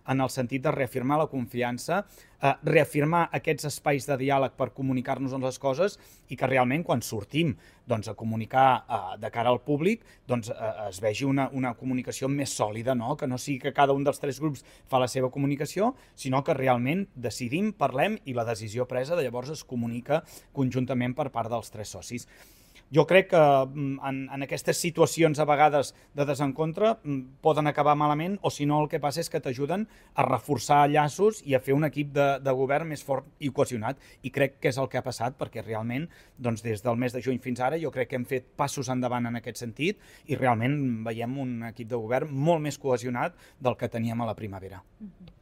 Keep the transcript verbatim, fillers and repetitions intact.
en el sentit de reafirmar la confiança, eh, reafirmar aquests espais de diàleg per comunicar-nos les coses i que realment quan sortim doncs, a comunicar eh, de cara al públic doncs, eh, es vegi una, una comunicació més sòlida, no? Que no sigui que cada un dels tres grups fa la seva comunicació, sinó que realment decidim, parlem i la decisió presa de llavors es comunica conjuntament per part dels tres socis. Jo crec que en, en aquestes situacions a vegades de desencontre poden acabar malament o si no el que passa és que t'ajuden a reforçar llaços i a fer un equip de, de govern més fort i cohesionat i crec que és el que ha passat perquè realment doncs, des del mes de juny fins ara jo crec que hem fet passos endavant en aquest sentit i realment veiem un equip de govern molt més cohesionat del que teníem a la primavera. Mm-hmm.